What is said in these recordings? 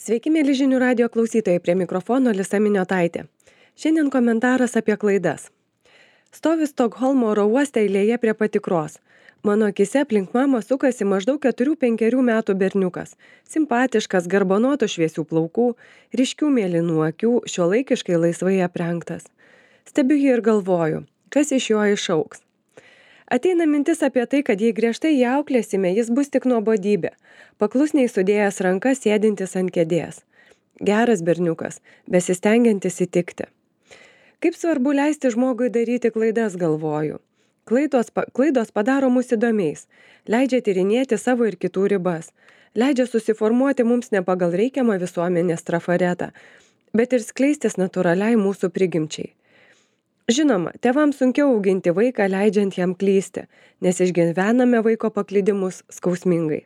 Sveiki, mėly žinių radio klausytojai, prie mikrofono Lisa Miniotaitė. Šiandien komentaras apie klaidas. Stoviu Stokholmo oro uoste eilėje prie patikros. Mano akise aplink mamą sukasi maždaug 4-5 metų berniukas. Simpatiškas, garbanotų šviesių plaukų, ryškių mėlynų akių, šiuolaikiškai laisvai aprengtas. Stebiu jį ir galvoju, kas iš jo išaugs. Ateina mintis apie tai, kad jei griežtai jį auklėsime, jis bus tik nuobodybė, paklusniai sudėjęs rankas sėdintis ant kėdės. Geras berniukas, besistengiantis įtikti. Kaip svarbu leisti žmogui daryti klaidas, galvoju. Klaidos padaro mus įdomiais, leidžia tyrinėti savo ir kitų ribas, leidžia susiformuoti mums ne pagal reikiamą visuomenės trafaretą, bet ir skleistis natūraliai mūsų prigimčiai. Žinoma, tėvams sunkiau auginti vaiką, leidžiant jam klysti, nes išgyvename vaiko paklydimus skausmingai.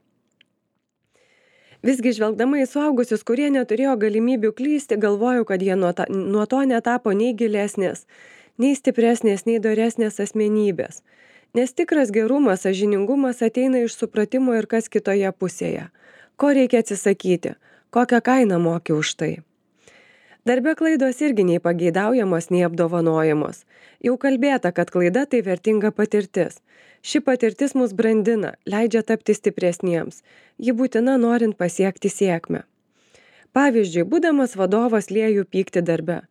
Visgi žvelgdama į suaugusius, kurie neturėjo galimybių klysti, galvoju, kad jie nuo to netapo nei gilesnės, nei stipresnės, nei doresnės asmenybės. Nes tikras gerumas, sąžiningumas ateina iš supratimo ir kas kitoje pusėje. Ko reikia atsisakyti, kokią kainą moki už tai. Darbe klaidos irgi nei pageidaujamos, nei apdovanojamos. Jau kalbėta, kad klaida tai vertinga patirtis. Ši patirtis mus brandina, leidžia tapti stipresniems. Ji būtina norint pasiekti sėkmę. Pavyzdžiui, būdamas vadovas lieju pyktį darbe.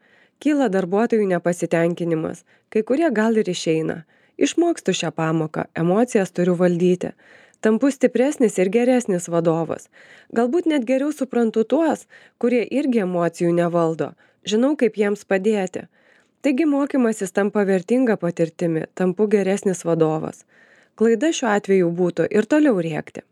Kyla darbuotojų nepasitenkinimas, kai kurie gal ir išeina. Išmokstu šią pamoką, emocijas turiu valdyti. Tampu stipresnis ir geresnis vadovas. Galbūt net geriau suprantu tuos, kurie irgi emocijų nevaldo. Žinau, kaip jiems padėti. Taigi mokymasis tampa vertinga patirtimi, tampu geresnis vadovas. Klaida šiuo atveju būtų ir toliau rėkti.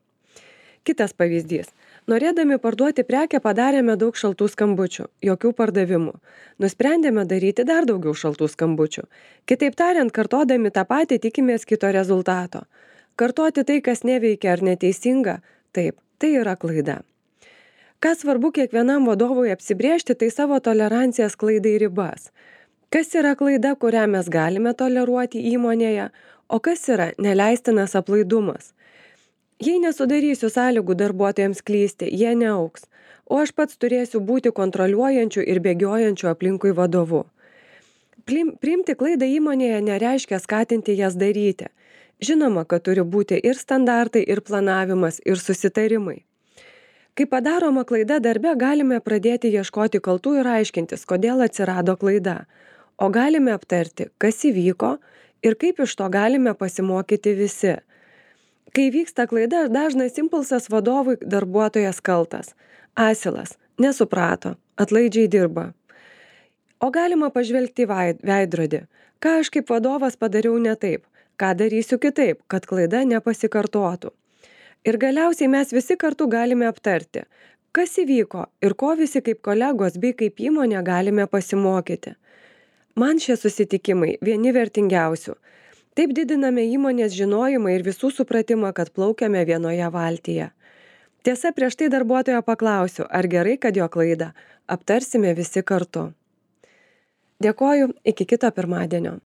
Kitas pavyzdys. Norėdami parduoti prekę padarėme daug šaltų skambučių, jokių pardavimų. Nusprendėme daryti dar daugiau šaltų skambučių. Kitaip tariant, kartodami tą patį tikimės kito rezultato. Kartoti tai, kas neveikia ar neteisinga, taip, tai yra klaida. Ką svarbu kiekvienam vadovui apsibrėžti, tai savo tolerancijas klaidai ribas. Kas yra klaida, kurią mes galime toleruoti įmonėje, o kas yra neleistinas aplaidumas. Jei nesudarysiu sąlygų darbuotojams klysti, jie neaugs, o aš pats turėsiu būti kontroliuojančiu ir bėgiojančiu aplinkui vadovu. Priimti klaidą įmonėje nereiškia skatinti jas daryti. Žinoma, kad turi būti ir standartai, ir planavimas, ir susitarimai. Kai padaroma klaida darbe, galime pradėti ieškoti kaltų ir aiškintis, kodėl atsirado klaida. O galime aptarti, kas įvyko ir kaip iš to galime pasimokyti visi. Kai vyksta klaida, dažnas impulsas vadovui darbuotojas kaltas. Asilas, nesuprato, atlaidžiai dirba. O galima pažvelgti į veidrodį. Ką aš kaip vadovas padariau ne taip? Ką darysiu kitaip, kad klaida nepasikartotų. Ir galiausiai mes visi kartu galime aptarti, kas įvyko ir ko visi kaip kolegos bei kaip įmonė galime pasimokyti. Man šie susitikimai vieni vertingiausių. Taip didiname įmonės žinojimą ir visų supratimą, kad plaukiame vienoje valtyje. Tiesa, prieš tai darbuotojo paklausiu, ar gerai, kad jo klaidą aptarsime visi kartu. Dėkoju, iki kito pirmadienio.